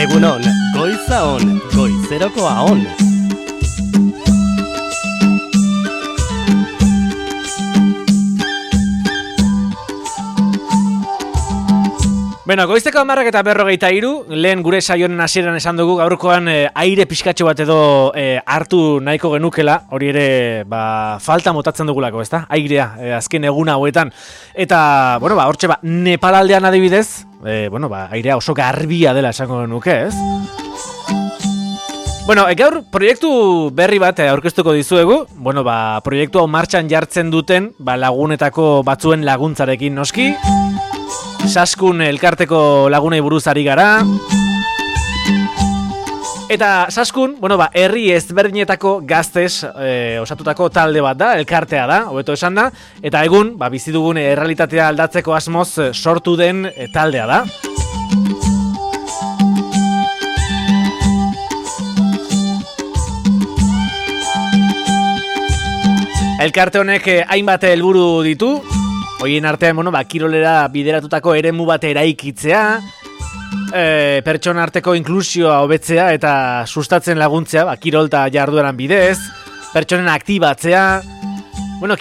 Egunon, goiza on, goizerokoa on. Bueno, goizteko 10:43, lehen gure saioen hasieran esan dugu gaurkoan aire pixkatxo bat edo hartu nahiko genukela, hori ere falta motatzen dugulako, ezta? Airea, azken egun hauetan. Eta, bueno, hortxe Nepalaldean adibidez, airea oso garbia dela esango genuke, ez? Bueno, gaur proiektu berri bat aurkeztuko dizuegu. Bueno, proiektu hau martxan jartzen duten lagunetako batzuen laguntzarekin noski. Saskun elkarteko lagunei buruz ari gara. Eta Saskun, herri ezberdinetako gaztez osatutako talde bat da, elkartea da, hobeto esan da. Eta egun, bizi dugun errealitatea aldatzeko asmoz sortu den taldea da. Elkarte honek hainbat helburu ditu. Hoien artean, kirolera bideratutako eremu bat eraikitzea, pertsona arteko inklusioa hobetzea eta sustatzen laguntzea, kirol eta jardueran bidez, pertsonen aktibatzea,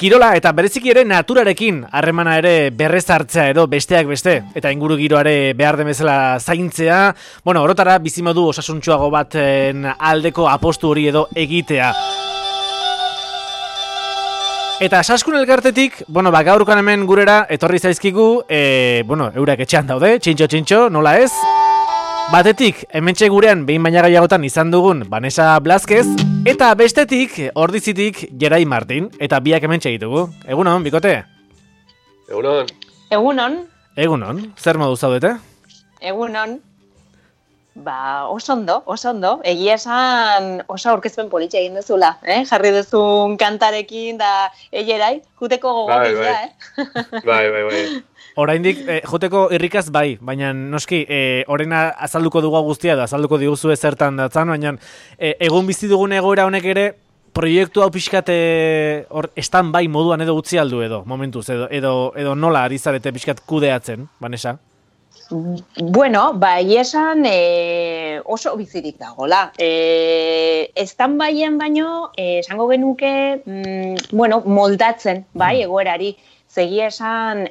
kirola eta bereziki ere naturarekin harremana ere berrezartzea edo besteak beste, eta inguru giroare behar den bezala zaintzea, orotara bizimodu osasuntsuago baten aldeko apostu hori edo egitea. Eta Saskun elkartetik, gaurkoan hemen gurera etorri zaizkigu, eurak etxean daude, txintxo, nola ez? Batetik, hementxe gurean behin baina gehiagotan izan dugun Vanessa Blázquez, eta bestetik, ordizitik, Gerai Martin, eta biak hementxe ditugu. Egunon, bikote? Egunon. Egunon, zer modu zaudete? Egunon. Oso ondo. Egia esan oso aurkezpen politxe egin duzula, jarri duzun kantarekin da Gerai, juteko gogotia, Bai. Oraindik joteko irrikaz bai, baina noski orena azalduko dugu guztia da, azalduko diguzu zertan datzan, baina egun bizi dugun egoera honek ere proiektu hau pixkat estan bai moduan edo utzi aldu edo, momentuz, edo nola ari zarete pixkat kudeatzen, Vanessa? Esan oso bizirik dagoela. Estan baien baino, esango genuke, moldatzen, egoerari. Segia esan,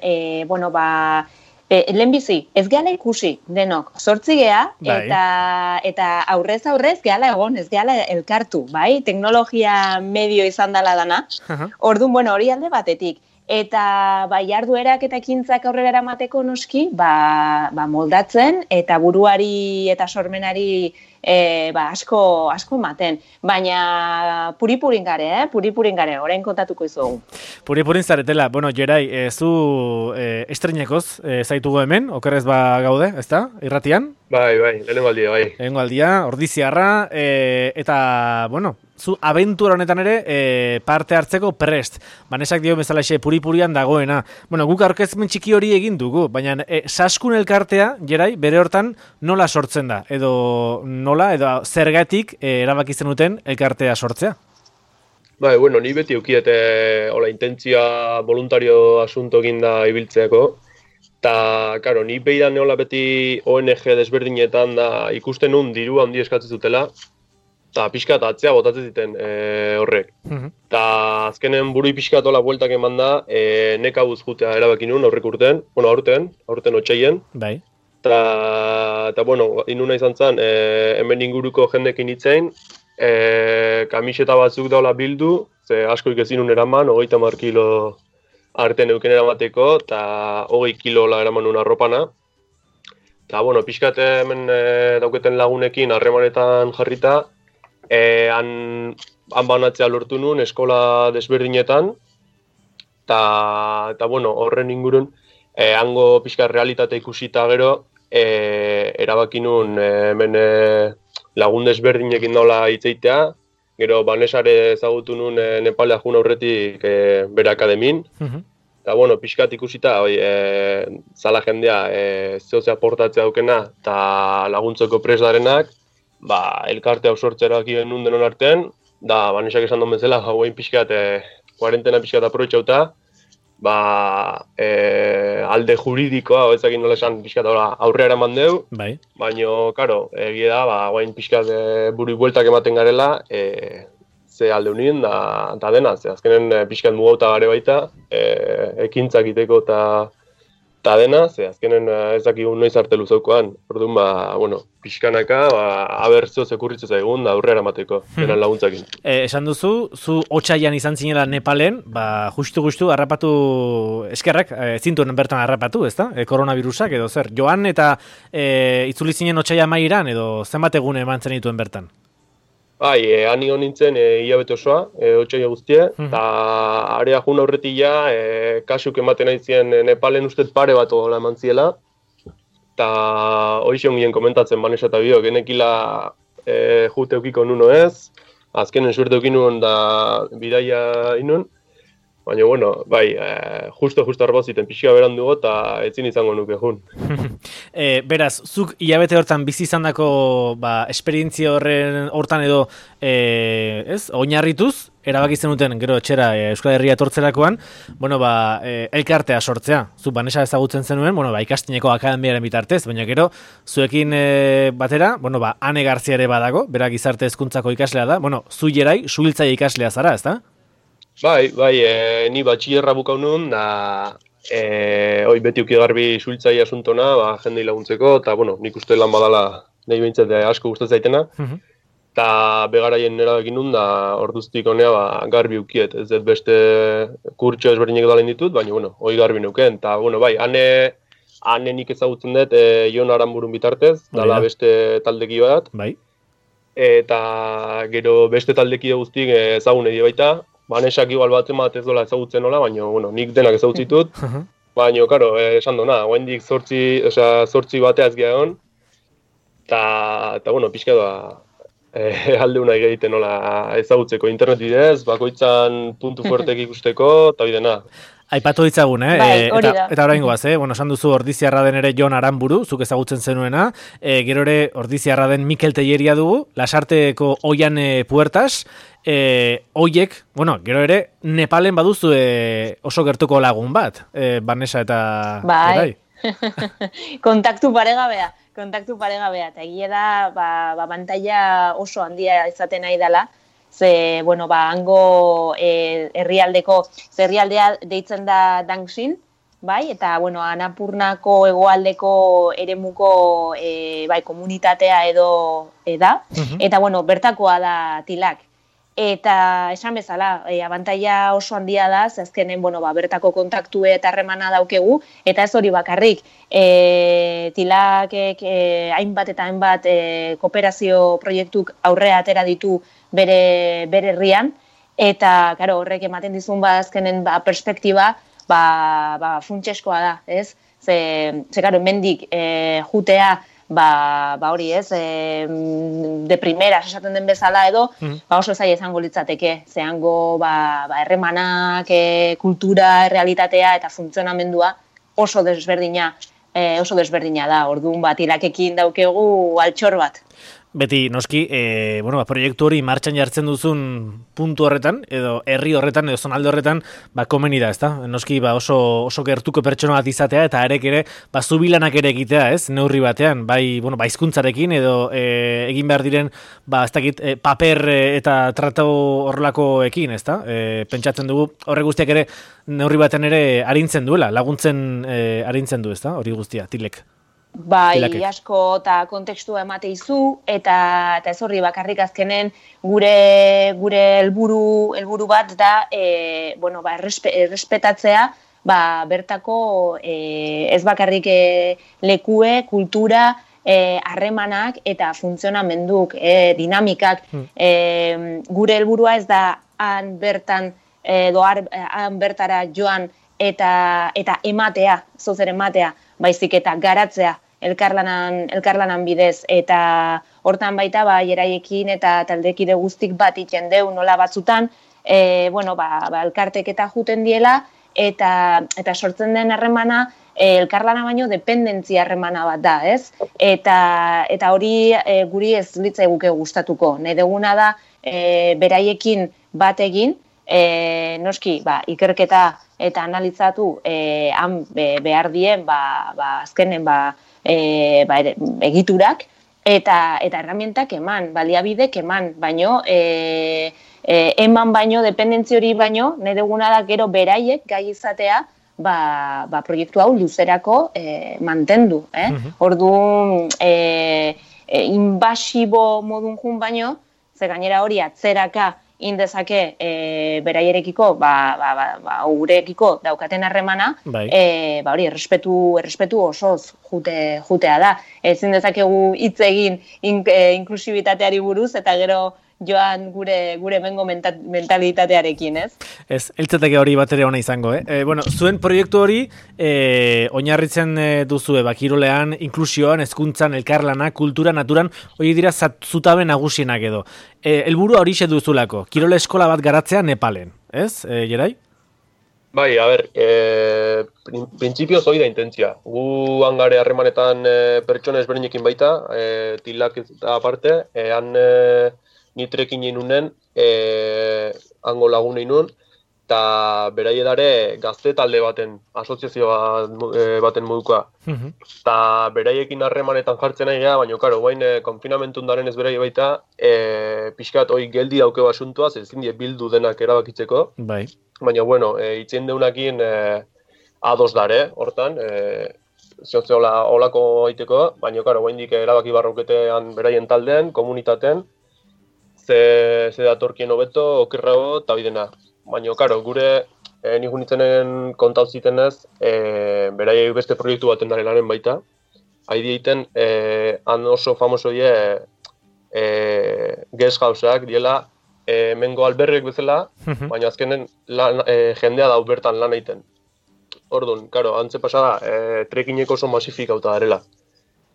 lehenbizi, ez gehala ikusi denok, 8 gea, eta aurrez gehala egon, ez gehala elkartu, teknologia medio izan dela dana. Orduan, hori alde batetik. Eta jarduerak eta ekintzak aurrera eramateko noski, moldatzen eta buruari eta sormenari asko ematen. Baina puripurin gare, orain kontatuko izugu. Puripurin zaretela, Gerai, zu estrenekoz zaitugu hemen, okerrez gaude, ezta? Irratian? Bai, lehenengo aldia, bai. Lehenengo aldia, ordiziarra, eta, zu abentura honetan ere parte hartzeko prest. Banesak dio bezalaxe puripurian dagoena. Guk aurkezpen txiki hori egin dugu, baina Saskun elkartea, Gerai, bere hortan nola sortzen da? Edo zergatik erabaki zenuten elkartea sortzea? Ni beti eukiete intentzia voluntario asunto ginda ibiltzeako. Eta, ni behidan neola beti ONG desberdinetan da ikusten nun dirua handi eskatzen zutela. Eta pixkat atzea botatzen ziten horrek. Eta azkenen burui pixkat hola bueltak eman da, nekabuz jutea erabaki nun aurrek urten, aurten otxaien. Bai. Eta inuna izan zen, hemen inguruko jendekin hitzein, kamiseta batzuk daula bildu, ze asko ikezinun eraman, 30 kilo artean euken eramateko, eta 20 kilo eraman nun arropana. Eta, pixkat hemen dauketen lagunekin harremanetan jarrita, han banatzea lortu nun eskola desberdinetan, eta horren ingurun, hango pixka realitate ikusita gero, erabaki nun hemen lagun desberdinekin daula hitzeitea, gero Vanessare ezagutu nun Nepalea jun aurretik bere akademin, eta pixkat ikusita, zala jendea zehozea portatzea daukena, eta laguntzeko presdarenak, elkarte hau sortzera aki genuen denon artean, da Vanessak esan duen bezala, hauen pixkat, kuarentena pixkat aprobetxauta, alde juridikoa, ezakin nola esan pixkat aurrera eman deu, bai. Baina, karo, egia da, guain pixkat buru bueltak ematen garela, ze alde unien da dena, ze azkenen pixkat mugauta gare baita, ekintzak iteko eta dena, ze azkenen ez dakigun noiz arte luzaukoan. Orduan, pixkanaka, abertzio zekurritzu zaigun da aurrera emateko, denan laguntzakin. Esan duzu, zu otsaian izan zinela Nepalen, justu harrapatu eskerrak, zintuen bertan harrapatu, ezta? Koronavirusak edo zer. Joan eta itzuli zinen otsaia mairan edo zenbat egun eman zen dituen bertan? Bai, han nion nintzen hilabete osoa, otsaia guztie, eta area jun aurretila, kasuk ematen aizien Nepalen ustet pare bat ola eman ziela, eta hoizion gien komentatzen Vanessa eta bio, genekila jute eukiko nuno ez, azkenen suerte eukin nuen da bidaia inun, baina, bai, justo arboziten pixka berandugo eta etzin izango nuke jun. Beraz, zuk hilabete hortan bizi izandako esperientzia hortan edo oinarrituz, erabaki zenuten gero etxera Euskal Herria etortzerakoan, elkartea sortzea. Zu Vanessa ezagutzen zenuen, ikastineko akademiaren bitartez, baina gero zuekin batera, Ane Garzia ere badago, berak gizarte hezkuntzako ikaslea da, zu jerai, suhiltzaile ikaslea zara, ezta? Bai, ni batxillerra bukau nun, da beti uki garbi suhiltzaile asuntona, jendei laguntzeko, eta nik uste lan badala nahi behintzat asko gustatzen zaitena. Eta begaraien erabekin nun, da orduztik honea garbi ukiet, ez dut beste kurtso ezberdinek dalen ditut, baina hoi garbi neuken. Eta bai, ane nik ezagutzen dut Jon Aranburun bitartez, dala beste taldeki bat. Bai. Eta gero beste taldeki guztik ezagun edo baita, Vanessak igual bat ez dola ezagutzen nola, baina nik denak ezagutzitut. Baina, karo, esan dona, guaindik zortzi bateaz gehiagon, eta pixka alde unai egiten nola ezagutzeko internet bidez, bakoitzan puntu fuertek ikusteko, eta bidena. Aipatu ditzagun, Bai, eta orain goaz, esan duzu Ordiziarra den ere Jon Aranburu, zuk ezagutzen zenuena, gero ere Ordiziarra den Mikel Telleria dugu, Lasarteko Oian Puertas, oiek, gero ere Nepalen baduzu oso gertuko lagun bat, Vanessa eta... Bai, kontaktu paregabea, eta egia da, bantaia oso handia izaten nahi dela, ze, hango herrialdea deitzen da Dangxin, bai, eta, Anapurnako hegoaldeko eremuko komunitatea edo da, eta, bertakoa da Tilak. Eta esan bezala, abantaila oso handia da, azkenen, bertako kontaktue eta harremana daukegu, eta ez hori bakarrik, Tilakek hainbat eta hainbat kooperazio proiektuk aurrea atera ditu bere herrian, eta horrek ematen dizun azkenen perspektiba funtseskoa da, ez? Ze hemendik jutea, hori ez, de primera esaten den bezala edo, oso zaila izango litzateke, zehango herremanak, kultura, realitatea eta funtzionamendua oso desberdina da, orduan Tilakekin daukegu altxor bat. Beti, noski, proiektu hori martxan jartzen duzun puntu horretan, edo herri horretan, edo zonalde horretan, komeni da, ezta? Noski, oso gertuko pertsona bat izatea, eta arek ere, zubilanak ere egitea, ez? Neurri batean, hizkuntzarekin, edo egin behar diren, ez dakit, paper eta tratau horrelakoekin, ezta? Pentsatzen dugu, horre guztiak ere, neurri batean ere arintzen duela, laguntzen arintzen du, ezta? Hori guztia, Tilek. Bai, asko eta kontekstua emate izu, eta ez horri bakarrik azkenen gure helburu bat da, errespetatzea, bertako ez bakarrik lekue, kultura, harremanak eta funtzionamenduk, dinamikak. Gure helburua ez da han bertara joan eta ematea, zozer ematea, baizik eta garatzea elkarlanan bidez, eta hortan baita jeraiekin eta taldekide guztik bat iten deu nola batzutan, elkartek eta juten diela, eta sortzen den harremana elkarlana baino dependentzia harremana bat da, ez? Eta hori guri ez litzaiguke gustatuko. Nahi duguna da beraiekin bat egin, noski, ikerketa eta analizatu han behar dien azkenen egiturak eta erramientak eman, baliabidek eman, baino eman baino, dependentzia hori baino, nahi duguna da gero beraiek gai izatea proiektu hau luzerako mantendu. Orduan, inbasibo modun jun baino, ze gainera hori atzeraka indezake beraierekiko, gurekiko daukaten harremana, hori errespetu osoz jutea da. Ezin dezakegu hitz egin inklusibitateari buruz, eta gero joan gure mengo mentalitatearekin, ez? Ez, eltzateke hori bat ere ona izango, Bueno, zuen proiektu hori oinarritzen duzue, kirolean, inklusioan, hezkuntzan, elkarlana, kultura, naturan, hori dira zutabe nagusienak edo. Helburua hori duzulako, kirole eskola bat garatzea Nepalen, ez, Gerai? Bai, a ber, printzipioz hori da intentzia. Gu hangare harremanetan pertsona ezberdinekin baita, tilak eta aparte, nitrekin inunen, hango lagunei nun, eta beraie dare gazte talde baten, asoziazio baten modukoa. Eta beraiekin harremanetan jartzen nahi gara, baina, karo, guain konfinamentun daren ez beraie baita, pixkat hori geldi daukeo asuntuaz, ezin die bildu denak erabakitzeko. Bai. Baina, bueno, itzien deunakin ados dare, hortan, zehotze olako aiteko, baina, karo, guaindik erabaki barroketean beraien taldean, komunitaten, ze datorkien hobeto, okerrago, eta bidena. Baina, karo, gure nik unitzenen kontau zitenez, beraiek beste proiektu baten dare lanen baita. Haidi egiten, han oso famoso die guest houseak, diela, mengo alberrek bezala, baina azkenen jendea dau bertan lan egiten. Orduan, karo, antze pasada, trekineko oso masifikauta darela.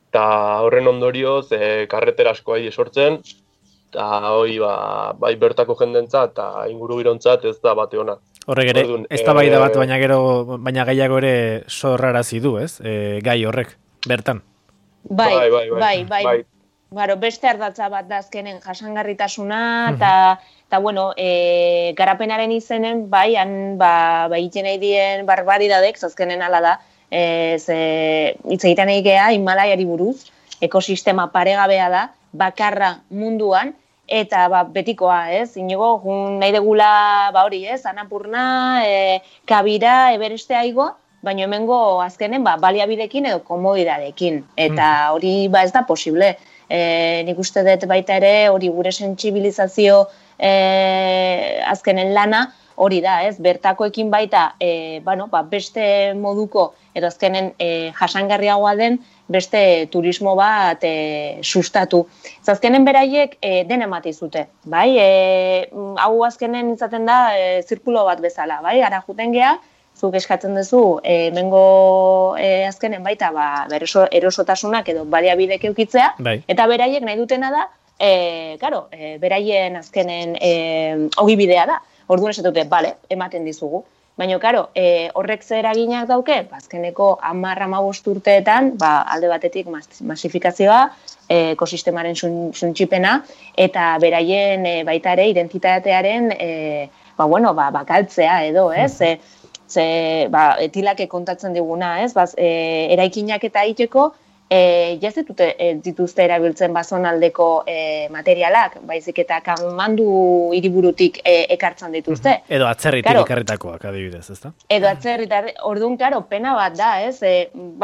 Eta horren ondorioz, karretera asko haide sortzen, eta hori bai bertako jendentzat eta inguru girontzat ez da bate ona. Horrek ere, ez da bai da bat, baina gaiago ere sorrarazi du, ez? Gai horrek, bertan. Bai. Baro, beste ardatza bat da azkenen jasangarritasuna, eta bueno, garapenaren izenen, han egiten nahi dien barbaridadek, azkenen ala da, hitz egiten nahi geha, Himalaiari buruz, ekosistema paregabea da, bakarra munduan, eta betikoa, ez? Inigo, nahi degula, hori, ez? Anapurna, Kabira, Evereste aigo, baina hemengo azkenen baliabidekin edo komodidadekin. Eta hori ez da posible. Nik uste dut baita ere, hori gure sentsibilizazio azkenen lana, hori da, ez? Bertakoekin baita, beste moduko, edo azkenen jasangarriagoa den, beste turismo bat sustatu. Azkenen beraiek den emate zute, bai? Hau azkenen izaten da zirkulo bat bezala, bai? Ara juten geha, zuk eskatzen duzu, mengo azkenen baita erosotasunak edo baliabidek eukitzea, eta beraiek nahi dutena da, beraien azkenen ogibidea da. Orduan esatute, ematen dizugu. Baina, horrek zer eraginak dauke, azkeneko 10-15 urteetan, alde batetik masifikazioa, ekosistemaren suntsipena, eta beraien baita ere identitatearen bakaltzea edo, ez? Etilake kontatzen diguna, ez? Eraikinak eta egiteko, dituzte erabiltzen bazonaldeko materialak, baizik eta kamandu hiriburutik ekartzen dituzte. Edo atzerritik ekarritakoak adibidez, ezta? Edo atzerritar, orduan, pena bat da, ez?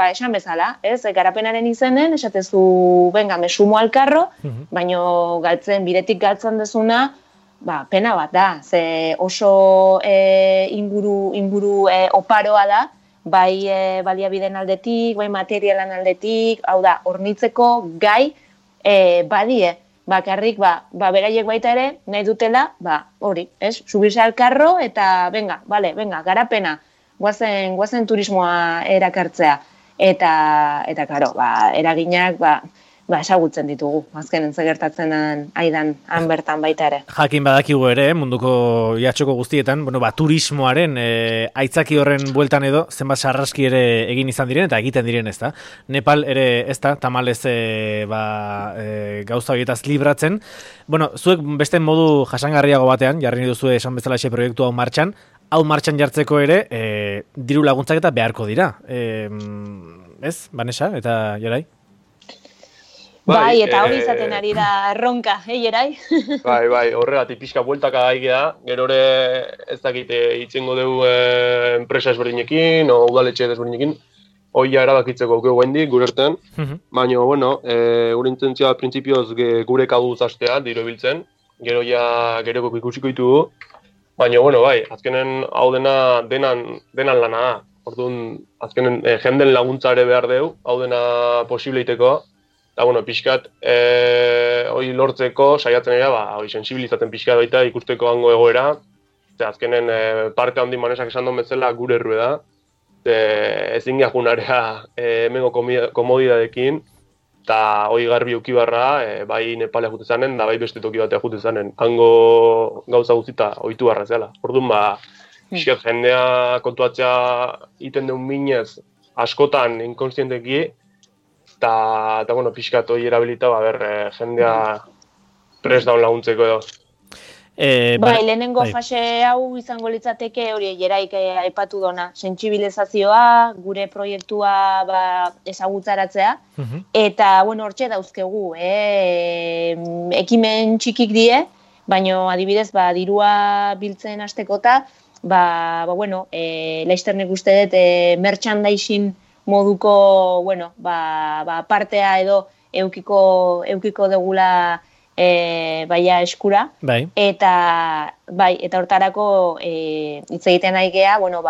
Esan bezala, ez? Garapenaren izenen, esatezu, mesumo alkarro, baino bidetik galtzen dezuna, pena bat da, ze oso inguru oparoa da, bai baliabideen aldetik, bai materialan aldetik, hau da, hornitzeko gai badie. Bakarrik, beraiek baita ere, nahi dutela, hori, ez? Subirse al carro eta, venga, garapena, guazen turismoa erakartzea. Eta, karo, eraginak, esagutzen ditugu, azkenen gertatzen aidan han bertan baita ere. Jakin badakigu ere, munduko jatxoko guztietan, turismoaren aitzaki horren bueltan edo, zenbat sarraski ere egin izan diren, eta egiten diren ez da. Nepal ere ez da, tamalez gauza horietaz libratzen. Zuek beste modu jasangarriago batean, jarri duzue esan bezala proiektu hau martxan, hau martxan jartzeko ere, diru laguntzak eta beharko dira. Ez, Vanessa, eta Jerai? Bai, eta hori izaten ari da erronka, Jerai? Bai, horregatik pixka bueltaka gaigea, gero ere ez dakite itzengo dugu enpresa ezberdinekin, o udaletxe ezberdinekin, hoia erabakitzeko geu hendik, gure artean, baina, bueno, gure intentzioa printzipioz gure kaduz hastea, diru biltzen, gero geroko ikusiko ditugu, baina, bueno, bai, azkenen hau denan lana da. Orduan, azkenen jenden laguntza ere behar deu, hau dena posibleiteko. Eta, bueno, pixkat, hori lortzeko, saiatzen era, hori sensibilizaten pixkat baita ikusteko hango egoera. Eta azkenen parke handi Manesak esan duen bezala gure errue da. Ezin gajunarea hemengo komodidadekin. Eta hori garbi ukibarra, bai Nepalea jute zanen, da bai beste toki batea jute zanen. Hango gauza guztita ohitu barra zela. Orduan, pixkat jendea kontuatzea iten deun minez askotan inkonstienteki, eta bueno, pixkat hori erabilita, jendea prest daun laguntzeko edo. Bai, lehenengo fase hau izango litzateke hori Jeraik aipatu dona, sentsibilizazioa, gure proiektua ezagutzaratzea, eta, bueno, hortxe dauzkegu, ekimen txikik die, baina adibidez, dirua biltzen hastekota, bueno, laizter nik uste dut merchandising moduko, bueno, partea edo eukiko degula baia eskura. Bai. Eta hortarako hitz egiten ari gea, bueno,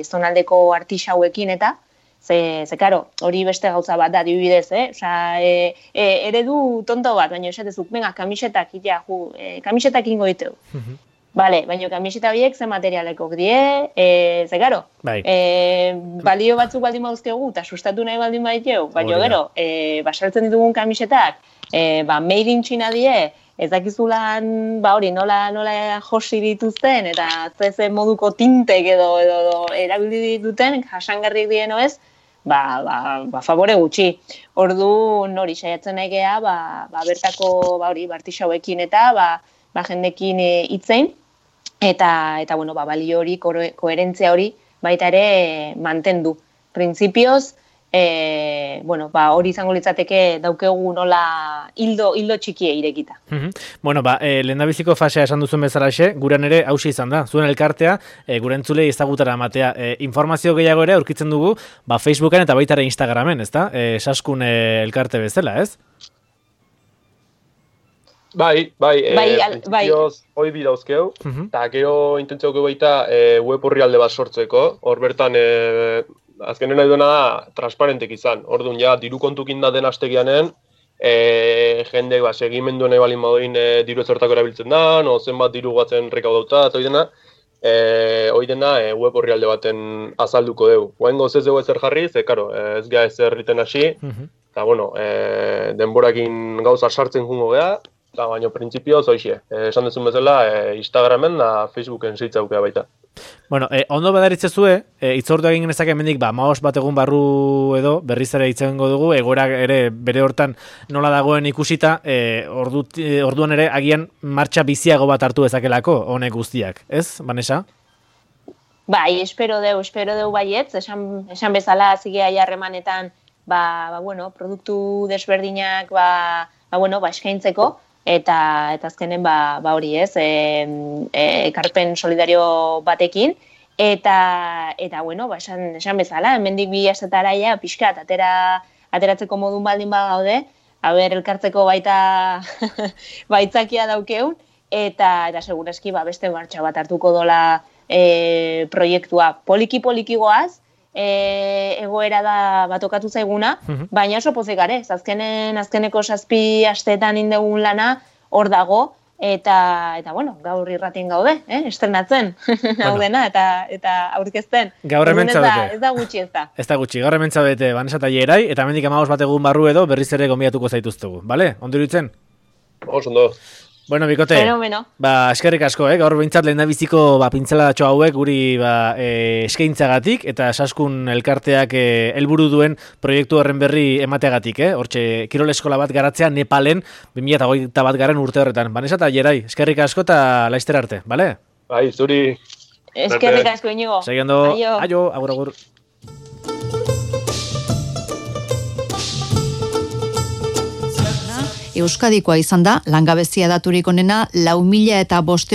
zonaldeko artisauekin eta karo, hori beste gauza bat da, adibidez, eredu tonto bat, baina esatezuk, venga, kamisetak ingo diteu. Vale, baina kamiseta horiek ze materialekok die, karo, balio batzuk baldin bauzkegu, eta sustatu nahi baldin baiteu, baina gero, basaltzen ditugun kamisetak, made in China die, ez dakizulan, hori, nola josi dituzten, eta ze moduko tintek edo erabili dituten, jasangarrik dieno ez, favore gutxi. Ordu nori saiatzen nahi geha, bertako, artisauekin eta, jendekin hitzein, eta bueno, balio hori, koherentzia hori, baita ere mantendu. Printzipioz, bueno, hori izango litzateke daukegu nola hildo txikie irekita. Bueno, lehendabiziko fasea esan duzun bezalaxe, guran ere hausia izan da. Zuen elkartea, gure entzulei ezagutara ematea. Informazio gehiago ere aurkitzen dugu, Facebooken eta baita ere Instagramen, ezta? Saskun elkarte bezala, ez? Bai, hoi bi dauzkeu, eta gero intentzioak baita web horrialde bat sortzeko, hor bertan azkenen nahi duena da transparentek izan, orduan diru kontukin da den astegianen, jendek segimendu nahi balin badoin diru ezortako erabiltzen da, zenbat diru batzen rekaudauta, eta hoi dena web horrialde baten azalduko dugu. Guaingo ez dugu ezer jarri, karo, ez gara ezer riten hasi, eta bueno, denborakin gauza sartzen jungo geha, baina printzipioz hoxe, esan dezun bezala, Instagramen da Facebooken zeitzaukea baita. Bueno, ondo badaritzezue, itzordu egin genezak hemendik, 15 bat egun barru edo, berriz ere itzengo dugu, egoera ere bere hortan nola dagoen ikusita, orduan ere agian martxa biziago bat hartu ezakelako, honek guztiak, ez, Vanessa? Bai, espero deu baietz, esan bezala zigea jarremanetan, bueno, produktu desberdinak, eskaintzeko, eta azkenen hori ez, ekarpen solidario batekin, eta bueno, esan bezala, hemendik 2 astatara pixkat ateratzeko modun baldin gaude, elkartzeko baita baitzakia daukeun, eta segurazki beste martxa bat hartuko dola proiektua poliki goaz, egoera da batokatu zaiguna, baina oso pozik gare, azkeneko 7 asteetan indegun lana hor dago, eta bueno, gaur irratien gaude, estrenatzen, hau dena, eta aurkezten. Gaur hemen zaudete. Ez da gutxi ez da. Ez da gutxi, gaur hemen zaudete, Vanessa eta Jerai, eta hemendik 15 bat egun barru edo berriz ere gonbidatuko zaituztegu, bale? Ondo iruditzen? Ondo. Bueno, bikote, eskerrik asko, gaur behintzat lehendabiziko pintzelatxo hauek guri eskaintzagatik eta Saskun elkarteak helburu duen proiektu horren berri emateagatik, hortxe kirol eskola bat garatzea Nepalen 2021 urte horretan. Vanessa eta Jerai, eskerrik asko eta laizter arte, bale? Bai, zuri. Eskerrik asko, Inigo. Seguindo, aio, agur. Euskadikoa izan da, langabezia daturik onena 4.500